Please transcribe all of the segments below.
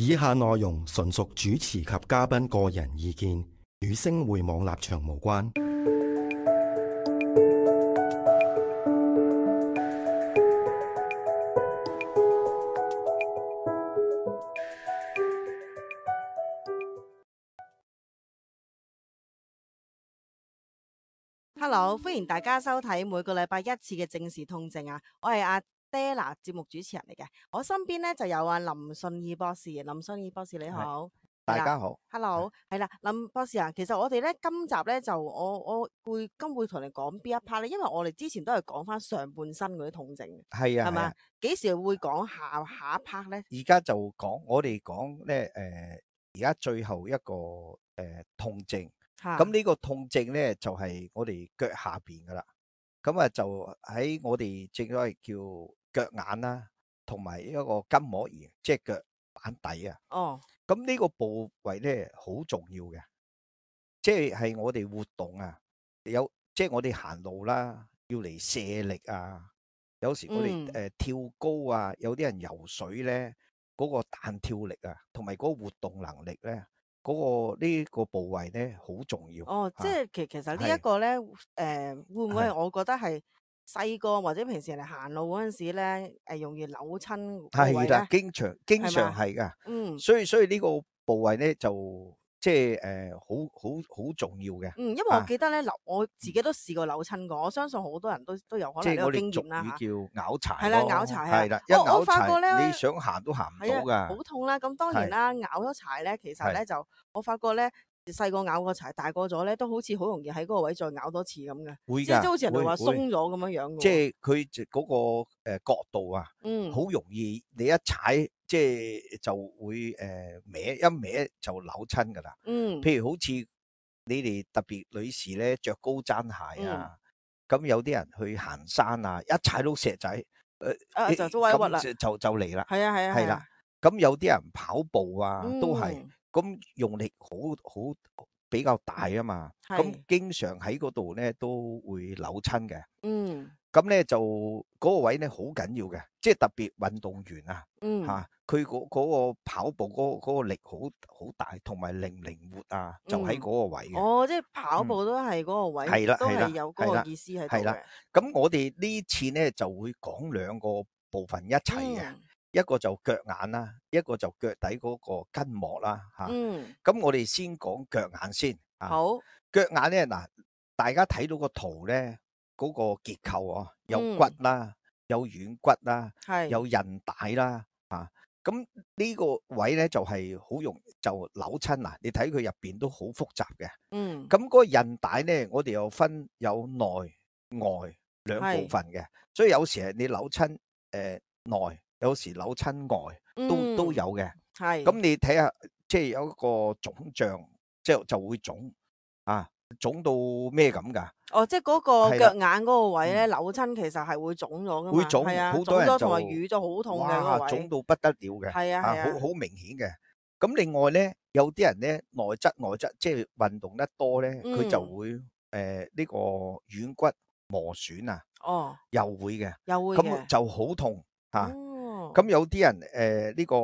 以下內容純屬主持及嘉賓個人意見，與星匯網立場無關。Hello，歡迎大家收睇每個禮拜一次嘅正視痛症啊！我係阿 Della 節目主持人嚟嘅，我身邊咧就有阿林信義博士。林信義博士你好，大家好。Hello，係啦，林博士啊，其實我哋咧今集咧就我會同你講邊一 part 咧，因為我哋之前都係講翻上半身嗰啲痛症嘅，係啊，係咪？幾時會講下一 part 咧？而家就我哋講咧，而家最後一個痛症。咁呢個痛症咧就係我哋腳下邊噶啦，咁啊就喺我哋正所謂叫腳眼啦，同埋一個筋膜炎，即係腳板底啊。哦，咁呢個部位咧好重要嘅，即係我哋活動啊，即係我哋行路啦，要嚟卸力啊。有時我哋跳高啊，有啲人游水咧，嗰個彈跳力啊，同埋嗰個活動能力咧，呢個部位咧好重要。哦，即係其實呢一個咧，會唔會係我覺得係細個或者平時嚟行路嗰陣時咧，容易扭親個位咧？係啦，經常係噶。所以呢個部位咧就即係好重要嘅。因為我記得咧我自己都試過扭親過，我相信好多人都有可能呢個經驗啦嚇。即係我哋俗語叫拗柴。係啦，拗柴係啦，一拗柴你想行都行唔到噶，好痛啦。咁當然啦，拗咗柴咧，其實咧就我發覺咧，細個拗過柴，大個咗咧都好似好容易喺嗰個位再拗多次咁嘅。會㗎，即係好似人哋話鬆咗咁樣樣嘅。即係佢嗰個角度啊，好容易你一踩即係就會一歪就扭親㗎啦。譬如好似你哋特別女士咧着高踭鞋啊，咁有啲人去行山啊，一踩到石仔，就歪屈啦，就嚟啦。係啦。咁有啲人跑步啊都係，咁用力好比較大啊嘛，咁經常喺嗰度咧都會扭親嘅。咁咧就嗰個位咧好緊要嘅，即係特別運動員啊，佢嗰個跑步嗰個力好大，同埋靈唔靈活啊，就喺嗰個位嘅。哦，即係跑步都係嗰個位，係啦，都係有嗰個意思喺度嘅。咁我哋呢次咧就會講兩個部分一齊嘅，一個就腳眼啦，一個就腳底嗰個筋膜啦，嚇。咁我哋先講腳眼先。好，腳眼咧嗱，大家睇到個圖咧，嗰個結構啊，有骨啦，有軟骨啦，有韌帶啦，咁呢個位咧就係好容易就扭親嗱。你睇佢入邊都好複雜嘅。咁嗰個韌帶咧，我哋又分有內外兩部分嘅，所以有時係你扭親內，有時扭親外，都有嘅。咁你睇下，即係有一個腫脹，即係就會腫啊，腫到咩咁㗎？哦，即係嗰個腳眼嗰個位咧扭親，其實係會腫咗㗎嘛。會腫，係啊，好多人就同埋瘀咗好痛嘅嗰個位。腫到不得了嘅。係啊，好明顯嘅。咁另外咧，有啲人咧內側，即係運動得多咧，佢就會呢個軟骨磨損啊。哦，又會嘅，咁就好痛嚇。咁有啲人呢個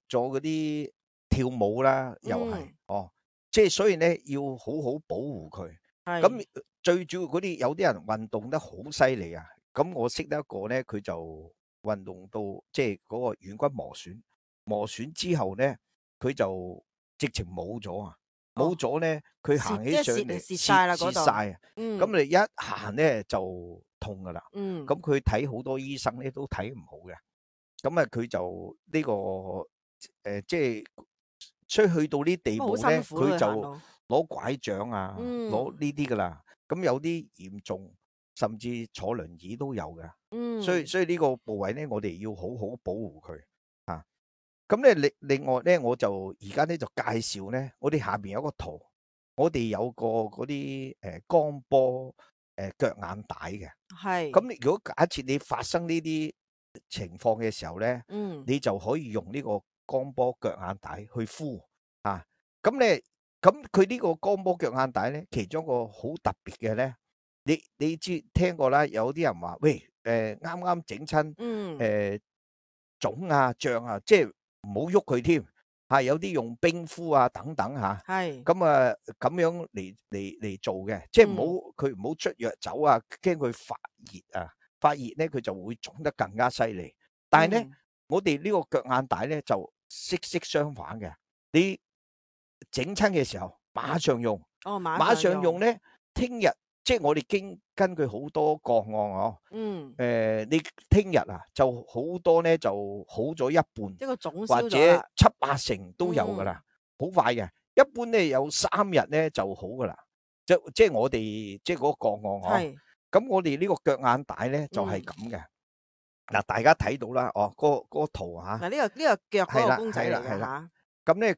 做嗰啲跳舞啦，又係即係所以咧要好好保護佢。咁最主要嗰啲有啲人運動得好犀利啊。咁我識得一個咧，佢就運動到即係嗰個軟骨磨損之後咧，佢就直情冇咗啊！冇咗咧，佢行起上嚟蝕晒啦嗰度。咁你一行咧就痛噶啦。咁佢睇好多醫生咧都睇唔好嘅。咁啊佢就呢個即係所以去到呢地步咧，佢就攞拐杖啊，攞呢啲噶啦。咁有啲嚴重，甚至坐輪椅都有嘅。所以呢個部位咧，我哋要好好保護佢啊。咁咧另外咧，我就而家咧就介紹咧，我哋下邊有個圖，我哋有個嗰啲光波腳眼帶嘅。咁如果假設你發生呢啲情況嘅時候咧，你就可以用呢個光波腳眼帶去敷啊。咁佢呢個光波腳眼帶咧，其中一個好特別嘅咧，你知聽過啦，有啲人話喂啱啱整親腫啊脹啊，即係唔好喐佢添，嚇有啲用冰敷啊等等嚇，係咁啊咁樣嚟做嘅，即係佢唔好捽藥酒啊，驚佢發熱啊，發熱咧佢就會腫得更加犀利。但係咧，我哋呢個腳眼帶咧就息息相反嘅，你整親嘅時候馬上用，馬上用咧，聽日即係我哋根據好多個案哦，你聽日啊就好多咧就好咗一半，即係個腫或者7-8成都有噶啦，好快嘅。一般咧有3日咧就好噶啦，即係我哋即係嗰個個案哦。咁我哋呢個腳眼帶咧就係咁嘅。嗱，大家睇到啦，哦，嗰個圖嚇。嗱，呢個腳嗰個公仔嚟嘅嚇。咁咧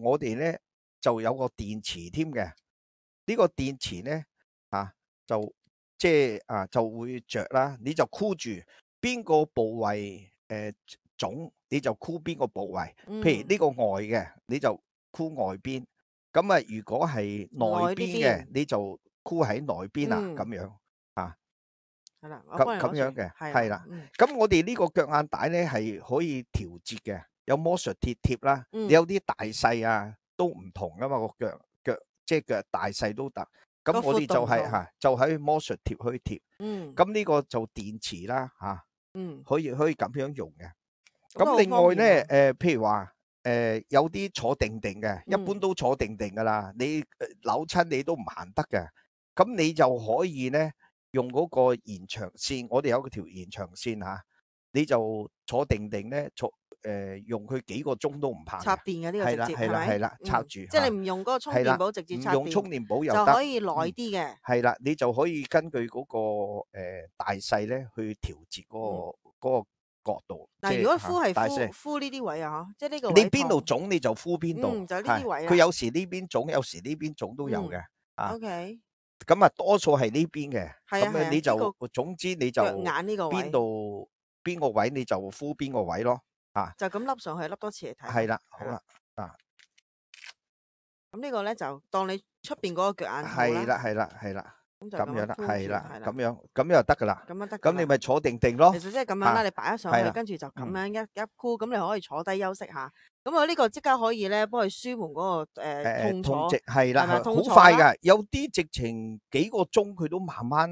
我哋咧就有個電池添嘅。呢個電池咧就即係就會着啦，你就箍住邊個部位腫，你就箍邊個部位。譬如呢個外嘅，你就箍外邊。咁啊，如果係內邊嘅，你就箍喺內邊啊，咁樣啊。係啦，咁樣嘅，係啦。咁我哋呢個腳眼帶咧係可以調節嘅，有魔術鐵貼啦。你有啲大細啊都唔同噶嘛，個腳即係腳大細都得。咁我哋就喺魔術貼去貼。咁呢個就電池啦可以咁樣用嘅。咁另外咧譬如話有啲坐定定嘅，一般都坐定定噶啦。你扭親你都唔行得嘅，咁你就可以咧用嗰個延長線，我哋有條延長線你就坐定定咧用佢幾個鐘都唔怕。插電嘅呢個直接係啦，插住。即係你唔用嗰個充電寶直接插電，唔用充電寶又就可以耐啲嘅。係啦，你就可以根據嗰個大細咧去調節嗰個角度。嗱，如果敷呢啲位啊，即係呢個位你邊度腫你就敷邊度。就呢啲位。佢有時呢邊腫，有時呢邊腫都有嘅。OK。咁啊，多數係呢邊嘅。咁你就總之你就腳眼呢個位邊個位你就敷邊個位咯。就咁笠上去，笠多次嚟睇。係啦，好啦。咁呢個咧就當你出邊嗰個腳眼套啦。係啦。咁樣啦，係啦，咁樣就得噶啦。咁得。咁你咪坐定定咯。其實即係咁樣啦，你擺咗上去，跟住就咁樣一箍，咁你可以坐低休息下。咁我呢個即刻可以咧幫佢舒緩嗰個痛楚。係啦，好快噶，有啲直情幾個鐘佢都慢慢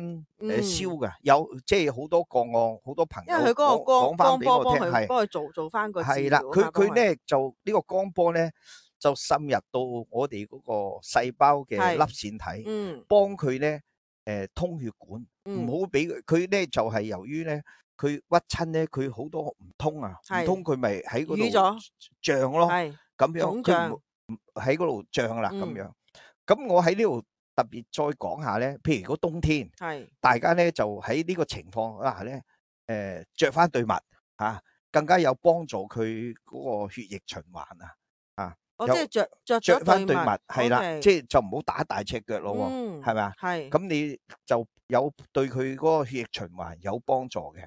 消噶。有即係好多個案，好多朋友。因為佢嗰個光波幫佢做翻個治療。係啦，佢咧就呢個光波咧就滲入到我哋嗰個細胞嘅粒線體，幫佢咧通血管，唔好俾佢咧就係由於咧佢屈親咧，佢好多唔通啊，唔通佢咪喺嗰度脹咯，咁樣佢喺嗰度脹啦，咁樣。咁我喺呢度特別再講下咧，譬如如果冬天，大家咧就喺呢個情況下咧，着翻對襪更加有幫助佢嗰個血液循環啊。即係着翻對襪，係啦，即係就唔好打大赤腳咯，係咪啊？係。咁你就有對佢嗰個血液循環有幫助嘅。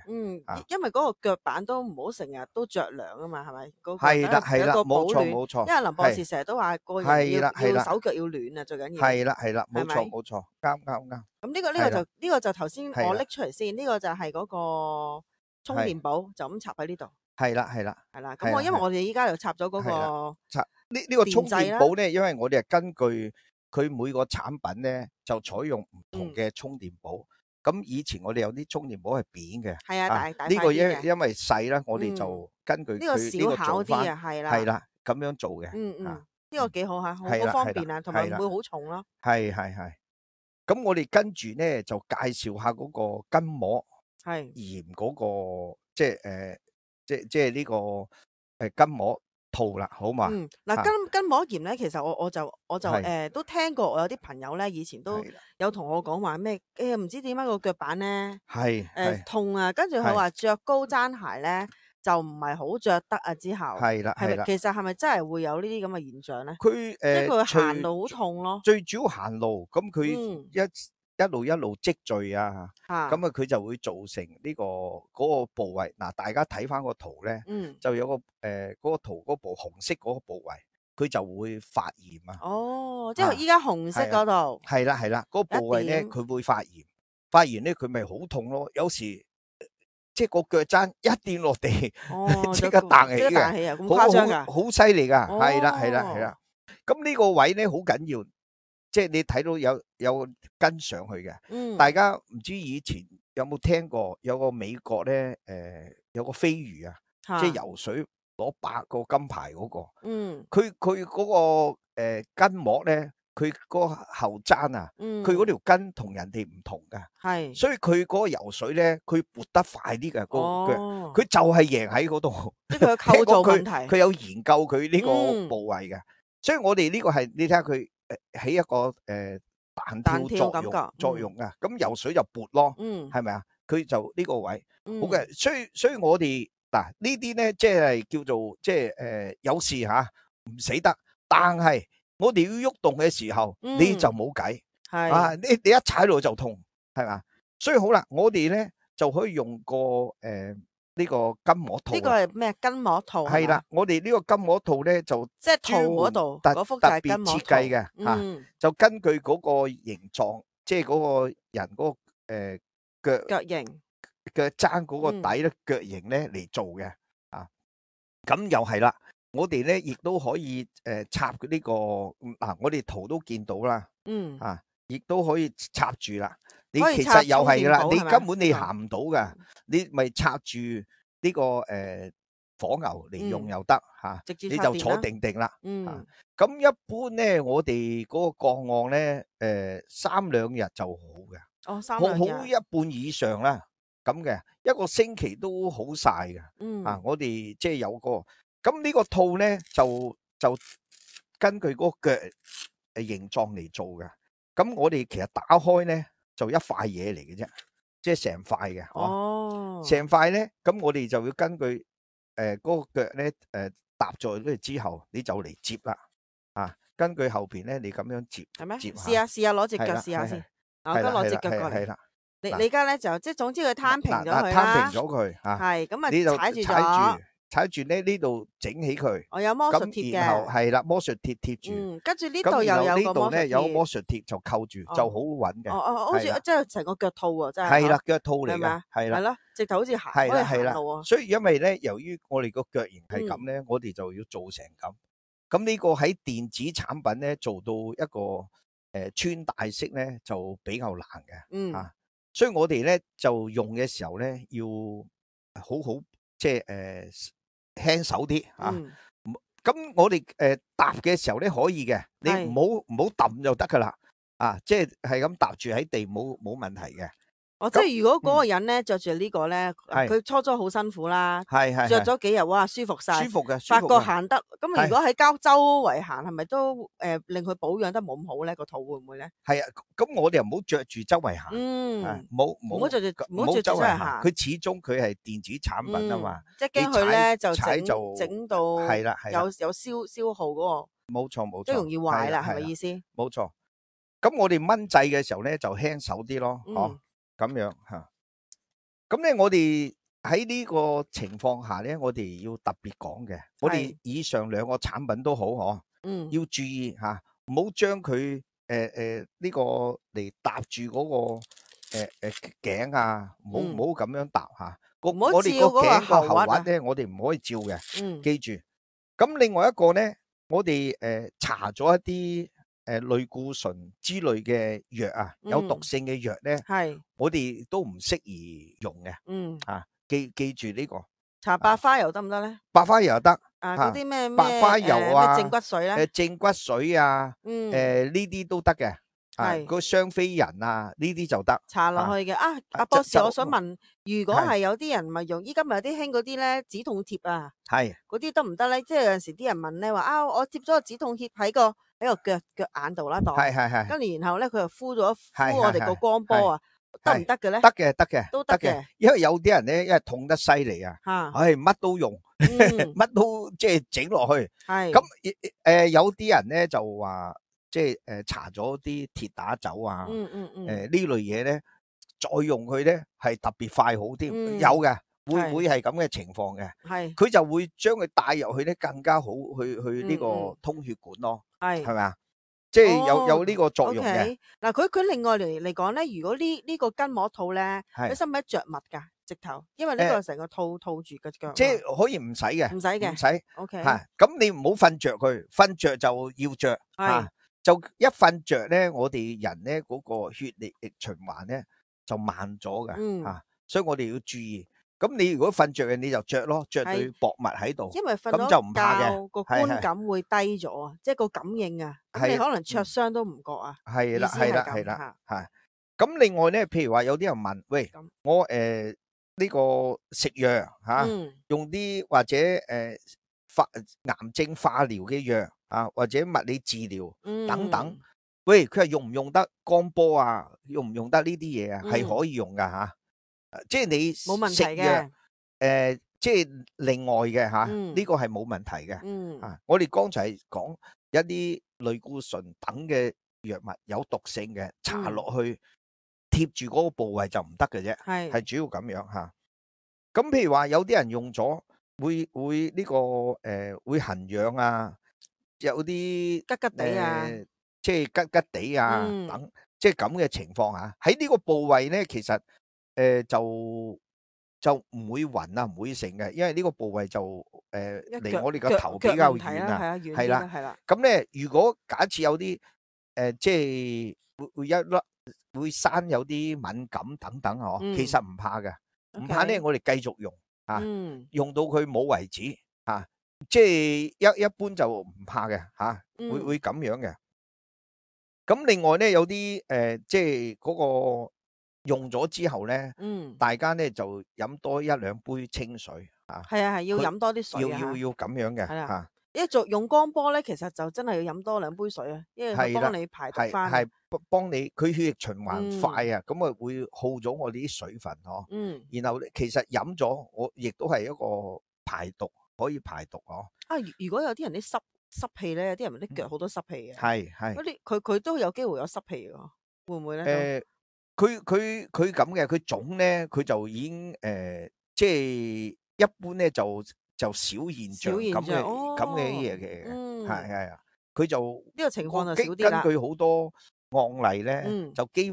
因為嗰個腳板都唔好成日都着涼啊嘛，係咪？係啦，冇錯。因為林博士成日都話個人要手腳要暖啊，最緊要。係啦，冇錯，啱。咁呢個就頭先我拎出嚟先，呢個就係嗰個充電寶，就咁插喺呢度。係啦。咁因為我哋依家就插咗嗰個呢個充電寶咧，因為我哋係根據佢每個產品咧就採用唔同嘅充電寶。咁以前我哋有啲充電寶係扁嘅，係啊，大呢個因為細啦，我哋就根據佢呢個小巧啲啊，係啦，咁樣做嘅。呢個幾好嚇，好方便啊，同埋唔會好重咯。係。咁我哋跟住咧就介紹下嗰個筋膜炎嗰個即係呢個筋膜套啦，好嘛？嗱，筋膜炎咧，其實我就都聽過，我有啲朋友咧以前都有同我講話咩唔知點解個腳板咧痛啊，跟住佢話着高踭鞋咧就唔係好着得啊，之後係啦，其實係咪真係會有呢啲咁嘅現象咧？即係佢行路好痛咯。最主要行路，咁佢一路積聚啊，咁佢就會造成呢嗰個部位。嗱，大家睇翻個圖咧，就有個嗰個圖嗰部紅色嗰個部位，佢就會發炎啊。哦，即係依家紅色嗰度。係啦，嗰個部位咧佢會發炎，發炎咧佢咪好痛咯。有時即係個腳踭一掂落地，即即刻彈起嘅，咁誇張㗎？好犀利㗎，係啦。咁呢個位咧好緊要，即係你睇到有跟上去嘅。大家唔知以前有冇聽過有個美國咧有個飛魚啊，即係游水攞8個金牌嗰個。佢嗰個筋膜咧。佢嗰個後踭啊，佢嗰條筋同人哋唔同噶，所以佢嗰個游水咧，佢撥得快啲嘅個腳，佢就係贏喺嗰度。即係佢嘅構造問題，佢有研究佢呢個部位嘅，所以我哋呢個係你睇下佢起一個彈跳作用啊，咁游水就撥咯，係咪啊？佢就呢個位好嘅，所以我哋嗱呢啲咧，即係叫做即係有事嚇唔死得，但係。我哋要喐動嘅時候，你就冇計，你一踩落就痛，係嘛？所以好啦，我哋咧就可以用個呢個筋膜套。呢個係咩筋膜套？係啦，我哋呢個筋膜套咧就即係套嗰度嗰幅就係筋膜套，特別設計嘅，就根據嗰個形狀，即係嗰個人嗰個腳型腳踭嗰個底咧腳型咧嚟做嘅，咁又係啦。我哋咧亦都可以插呢個我哋圖都見到啦，亦都可以插住啦。你其實又係噶啦，你根本你行唔到噶，你咪插住呢個火牛嚟用又得吓，你就坐定定啦。咁一般咧，我哋嗰個個案咧，3兩日就好嘅，好一半以上啦，咁嘅一個星期都好晒嘅。我哋即係有個。咁呢個套咧就根據嗰個腳形狀嚟做嘅。咁我哋其實打開咧就一塊嘢嚟嘅啫，即係成塊嘅。成塊咧，咁我哋就要根據嗰個腳咧搭在呢之後，你就嚟接啦。根據後邊咧，你咁樣接。係咩？試下攞隻腳試下先。我而家攞隻腳過嚟。係啦。你而家咧就即係總之佢攤平咗佢啦。攤平咗佢嚇。係咁啊，你就踩住咗。踩住咧呢度整起佢，我有魔術貼嘅，然後係啦，魔術貼貼住，跟住呢度又有個魔術貼，呢度咧有魔術貼就扣住，就好穩嘅。好似即係成個腳套喎，真係。係啦，腳套嚟嘅，係啦，係咯，直頭好似行路啊。所以因為咧，由於我哋個腳型係咁咧，我哋就要做成咁。咁呢個喺電子產品咧做到一個穿戴式咧就比較難嘅，所以我哋咧就用嘅時候咧要好即係輕手啲咁我哋搭嘅時候咧可以嘅，你唔好揼就得噶啦，即係咁搭住喺地冇問題嘅。即係如果嗰個人咧着住呢個咧，佢初好辛苦啦，着咗幾日哇舒服晒，舒服嘅，發覺行得。咁如果喺周圍行，係咪都令佢保養得冇咁好咧？個肚會唔會咧？係啊，咁我哋又唔好着住周圍行，唔好着住周圍行。佢始終佢係電子產品啊嘛，即係驚佢咧就整到係啦，有消耗嗰個，冇錯，都容易壞啦，係咪意思？冇錯。咁我哋掹掣嘅時候咧就輕手啲咯，咁樣吓，咁咧我哋喺呢個情況下咧，我哋要特別講嘅，我哋以上兩個產品都好，要注意吓，唔好將佢呢個嚟搭住嗰個頸啊，唔好咁樣搭吓，我哋個頸個後屈咧，我哋唔可以照嘅，記住。咁另外一個咧，我哋搽咗一啲。類固醇之類嘅藥啊，有毒性嘅藥咧，我哋都唔適宜用嘅。記住呢個。搽白花油得唔得咧？白花油又得。嗰啲咩白花油啊，正骨水咧？正骨水啊，呢啲都得嘅。個雙飛人啊，呢啲就得。搽落去嘅。阿博士，我想問，如果係有啲人咪用，依家咪有啲興嗰啲咧止痛貼啊？嗰啲得唔得咧？即係有陣時啲人問咧話我貼咗個止痛貼喺個腳眼度啦，跟住然後咧佢又敷我哋個光波啊，得唔得嘅咧？得嘅，都得嘅。因為有啲人咧，因為痛得犀利啊，乜都用，乜都即係整落去。咁有啲人咧就話，即係搽咗啲鐵打酒啊，呢類嘢咧，再用佢咧係特別快好啲，有嘅。會係咁嘅情況嘅，佢就會將佢帶入去咧更加好，去呢個通血管咯，係咪啊？即係有呢個作用嘅。嗱，佢另外嚟講咧，如果呢個筋膜套咧，佢使唔使着襪噶？直頭，因為呢個成個套住嘅腳。即係可以唔使嘅，唔使嘅，唔使。 OK。咁你唔好瞓着佢，瞓着就要着就一瞓着咧，我哋人咧嗰個血液循環咧就慢咗嘅所以我哋要注意。咁你如果瞓着嘅，你就着咯，着對薄襪喺度，因為瞓咁就唔怕嘅，個觀感會低咗啊，即係個感應啊，咁你可能灼傷都唔覺啊。係啦，係啦，係啦，係。咁另外咧，譬如話有啲人問，喂，我呢個食藥用啲或者癌症化療嘅藥或者物理治療等等，喂，佢係用唔用得光波啊？用唔用得呢啲嘢啊？係可以用噶即係你冇問題嘅。即係另外嘅呢個係冇問題嘅。我哋剛才講一啲類固醇等嘅藥物有毒性嘅，搽落去貼住嗰個部位就唔得嘅啫，係主要咁樣吓。咁譬如話有啲人用咗會呢個會痕癢啊，有啲吉吉地啊，即係吉吉地啊等，即係咁嘅情況喺呢個部位咧，其實就唔會暈啊，唔會成嘅，因為呢個部位就離我哋個頭比較遠啊，係啦，係啦。咁咧，如果假設有啲即係會一粒會生有啲敏感等等其實唔怕嘅，唔怕咧，我哋繼續用用到佢冇為止即係一般就唔怕嘅會咁樣嘅。咁另外咧，有啲即係嗰個用咗之後咧，大家咧就飲多一兩杯清水係要飲多啲水要咁樣嘅因為用光波咧，其實就真係要飲多2杯水因為佢幫你排毒翻，係幫你佢血液循環快咁啊會耗咗我哋啲水分然後其實飲咗我亦都係一個排毒，可以排毒如果有啲人啲濕氣咧，有啲人啲腳好多濕氣嘅，係嗰啲佢都有機會有濕氣嘅，會唔會咧？佢咁嘅，佢腫咧，佢就已經即係一般咧就少現象咁嘅嘢嘅，係佢就呢個情況就少啲啦。根據好多案例咧，就幾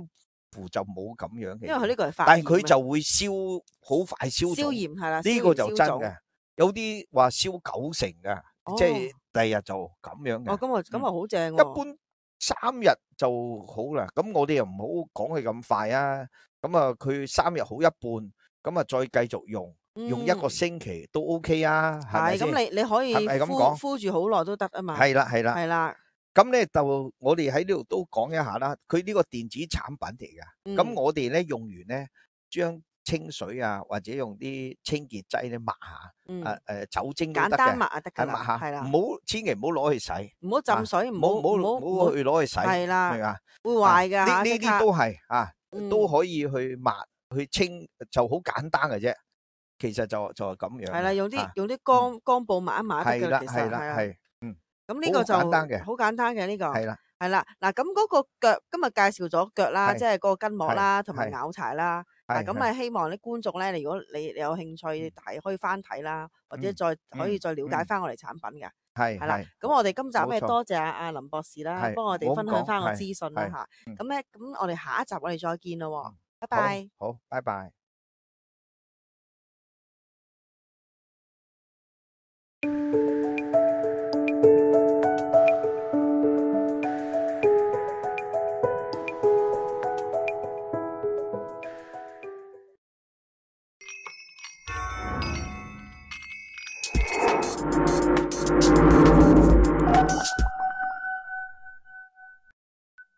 乎就冇咁樣嘅，因為佢呢個係發炎，但係佢就會好快消炎係啦，呢個就真嘅。有啲話燒90%嘅，即係第二日就咁樣嘅。咁啊好正。一般3日就好啦，咁我哋又唔好講佢咁快啊。咁啊，佢3日好一半，咁啊再繼續用1個星期都 OK 啊。係咪先？咁你可以敷住好耐都得啊嘛。係啦。咁咧就我哋喺呢度都講一下啦。佢呢個電子產品嚟噶，咁我哋咧用完咧將清水或者用啲清潔劑咧抹下，酒精都得嘅，簡單抹得噶啦，抹下，係啦，千祈唔好攞去洗，唔好浸水，唔好去攞去洗，係啦，明嘛？會壞噶呢啲都係都可以去抹去清，就好簡單嘅啫。其實就係咁樣。係啦，用啲乾布抹一抹得㗎啦，其實係。咁呢個就好簡單嘅呢個。係啦，嗱咁嗰個腳今日介紹咗腳啦，即係嗰個筋膜啦，同埋拗柴啦。咁啊，希望啲觀眾咧，如果你有興趣，係可以翻睇啦，或者可以再了解翻我哋產品嘅。係啦，咁我哋今集咧多謝阿林博士啦，幫我哋分享翻個資訊啦嚇。咁我哋下一集我哋再見咯，拜拜。好，拜拜。